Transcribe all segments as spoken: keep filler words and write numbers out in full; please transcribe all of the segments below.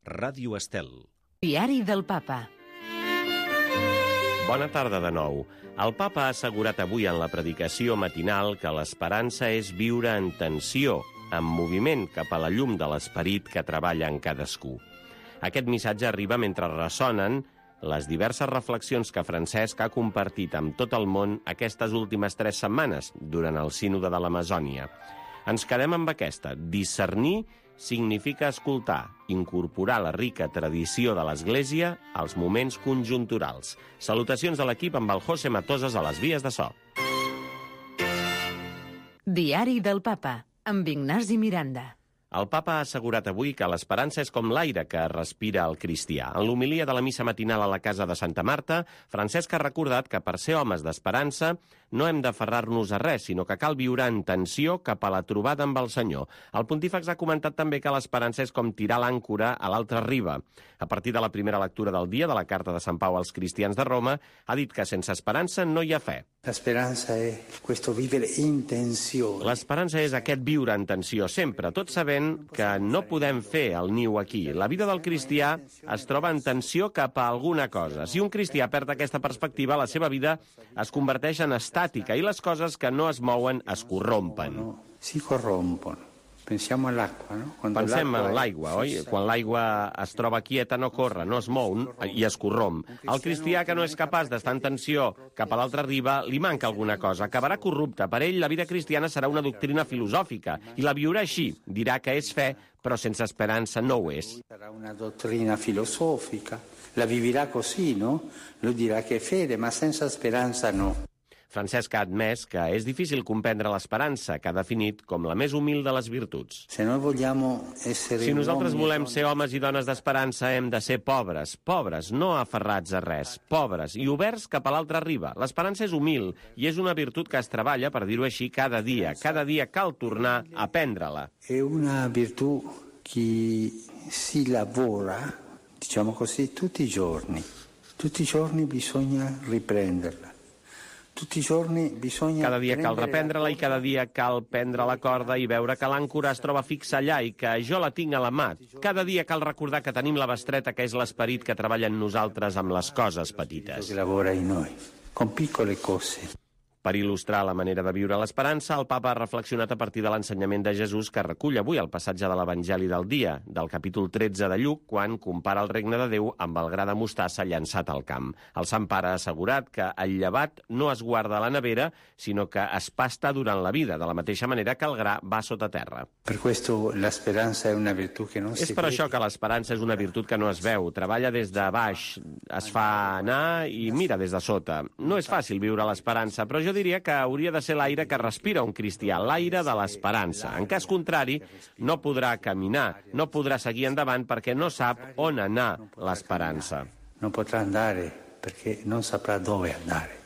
Ràdio Estel. Diari del Papa. Bona tarda de nou. El Papa ha assegurat avui en la predicació matinal que l'esperança és viure en tensió, en moviment cap a la llum de l'esperit que treballa en cadascú. Aquest missatge arriba mentre ressonen les diverses reflexions que Francesc ha compartit amb tot el món aquestes últimes tres setmanes durant el Sínode de l'Amazònia. Ens quedem amb aquesta. Discernir significa escoltar, incorporar la rica tradició de l'Església als moments conjunturals. Salutacions de l'equip amb el José Matosas a les vies de so. Diari del Papa, amb Ignasi Miranda. El Papa ha assegurat avui que l'esperança és com l'aire que respira el cristià. En l'homilia de la missa matinal a la casa de Santa Marta, Francesc ha recordat que per ser homes d'esperança no hem d'aferrar-nos a res, sinó que cal viure en tensió cap a la trobada amb el Senyor. El pontífex ha comentat també que l'esperança és com tirar l'àncora a l'altra riba. A partir de la primera lectura del dia de la carta de Sant Pau als cristians de Roma, ha dit que sense esperança no hi ha fe. L'esperança és questo vivere in tensione. L'esperança és aquest viure en tensió sempre, tot sabent que no podem fer el niu aquí. La vida del cristià es troba en tensió cap a alguna cosa. Si un cristià perd aquesta perspectiva, la seva vida es converteix en estàtica i les coses que no es mouen es corrompen. Si corrompen. Pensem en l'aigua, no? Pensem en l'aigua, oi? Quan l'aigua es troba quieta no corre, no es mou i es corromp. El cristià que no és capaç d'estar en tensió cap a l'altra riba, li manca alguna cosa, acabarà corrupte. Per ell, la vida cristiana serà una doctrina filosòfica i la viurà així. Dirà que és fe, però sense esperança no ho és. Sarà una dottrina filosofica, la vivirà così, no? Lui dirà che è fede, ma senza speranza no. Francesc ha admès que és difícil comprendre l'esperança, que ha definit com la més humil de les virtuts. Si nosaltres volem ser homes i dones d'esperança, hem de ser pobres, pobres, no aferrats a res, pobres i oberts cap a l'altra riba. L'esperança és humil i és una virtut que es treballa, per dir-ho així, cada dia. Cada dia cal tornar a prendre-la. È una virtù che si lavora, diciamo così, tutti i giorni. Tutti i giorni bisogna riprenderla. Cada dia cal reprendre-la i cada dia cal prendre la corda i veure que l'àncora es troba fixa allà i que jo la tinc a la mà. Cada dia cal recordar que tenim la bestreta, que és l'esperit que treballa en nosaltres amb les coses petites. Que lavora in noi, con piccole cose. Per il·lustrar la manera de viure l'esperança, el Papa ha reflexionat a partir de l'ensenyament de Jesús que recull avui el passatge de l'Evangeli del dia, del capítol tretze de Lluc, quan compara el regne de Déu amb el gra de mostassa llançat al camp. El Sant Pare ha assegurat que el llevat no es guarda a la nevera, sinó que es pasta durant la vida, de la mateixa manera que el gra va sota terra. Per questo l'esperanza è una virtù che non si És per això que l'esperança és una virtut que no es veu, treballa des de baix, es fa anar i mira des de sota. No és fàcil viure l'esperança, però jo diria que hauria de ser l'aire que respira un cristià, l'aire de l'esperança. En cas contrari, no podrà caminar, no podrà seguir endavant perquè no sap on anar l'esperança. No potrà andare perché non saprà dove andare.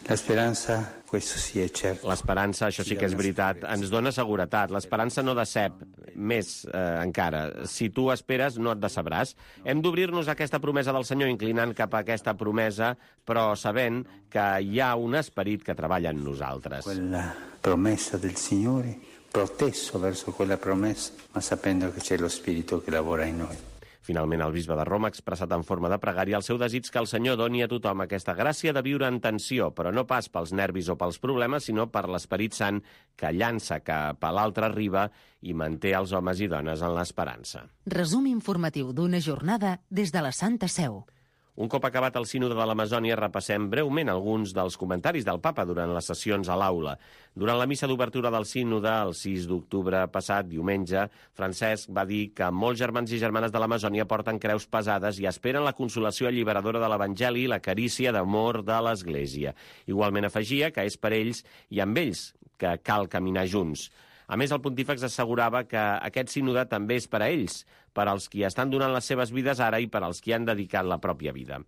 L'esperança, questo sì è certo. L'esperança, això sí que és veritat, ens dona seguretat. L'esperança no decep, més eh, encara. Si tu esperes, no et decebràs. Hem d'obrir-nos a aquesta promesa del Senyor, inclinant cap a aquesta promesa, però sabent que hi ha un esperit que treballa en nosaltres. Quella promessa del Signore, protesso verso quella promessa, ma sapendo che c'è lo Spirito che lavora in noi. Finalment, el bisbe de Roma ha expressat en forma de pregària el seu desig que el Senyor doni a tothom aquesta gràcia de viure en tensió, però no pas pels nervis o pels problemes, sinó per l'Esperit Sant que llança cap a l'altra riba i manté els homes i dones en l'esperança. Resum informatiu d'una jornada des de la Santa Seu. Un cop acabat el Sínode de l'Amazònia, repassem breument alguns dels comentaris del Papa durant les sessions a l'aula. Durant la missa d'obertura del Sínode, el sis d'octubre passat, diumenge, Francesc va dir que molts germans i germanes de l'Amazònia porten creus pesades i esperen la consolació alliberadora de l'Evangeli i la carícia d'amor de l'Església. Igualment afegia que és per ells i amb ells que cal caminar junts. A més, el pontífex assegurava que aquest sínode també és per a ells, per als qui estan donant les seves vides ara i per als qui han dedicat la pròpia vida.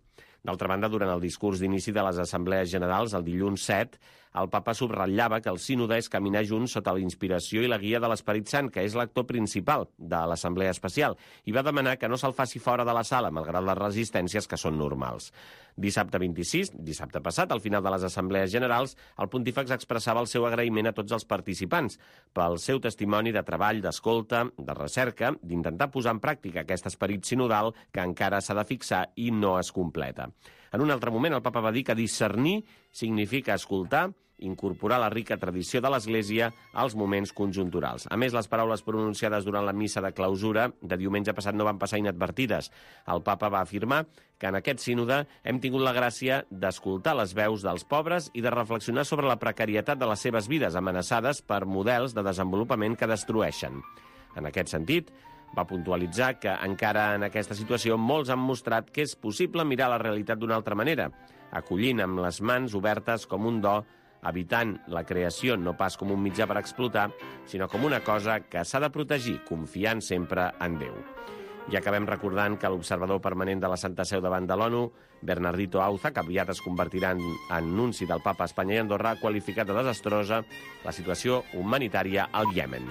D'altra banda, durant el discurs d'inici de les Assemblees Generals, el dilluns set, el papa subratllava que el sínode és caminar junts sota la inspiració i la guia de l'Esperit Sant, que és l'actor principal de l'Assemblea Especial, i va demanar que no se'l faci fora de la sala, malgrat les resistències que són normals. Dissabte vint-i-sis, dissabte passat, al final de les Assemblees Generals, el pontífex expressava el seu agraïment a tots els participants pel seu testimoni de treball, d'escolta, de recerca, d'intentar posar en en pràctica aquest esperit sinodal que encara s'ha de fixar i no es completa. En un altre moment, el papa va dir que discernir significa escoltar, incorporar la rica tradició de l'Església als moments conjunturals. A més, les paraules pronunciades durant la missa de clausura de diumenge passat no van passar inadvertides. El papa va afirmar que en aquest sínode hem tingut la gràcia d'escoltar les veus dels pobres i de reflexionar sobre la precarietat de les seves vides, amenaçades per models de desenvolupament que destrueixen. En aquest sentit, va puntualitzar que encara en aquesta situació molts han mostrat que és possible mirar la realitat d'una altra manera, acollint amb les mans obertes com un do, evitant la creació no pas com un mitjà per explotar, sinó com una cosa que s'ha de protegir, confiant sempre en Déu. I acabem recordant que l'observador permanent de la Santa Seu davant de l'ONU, Bernardito Auza, que aviat es convertirà en, en nunci del papa a Espanya i Andorra, ha qualificat de desastrosa la situació humanitària al Iemen.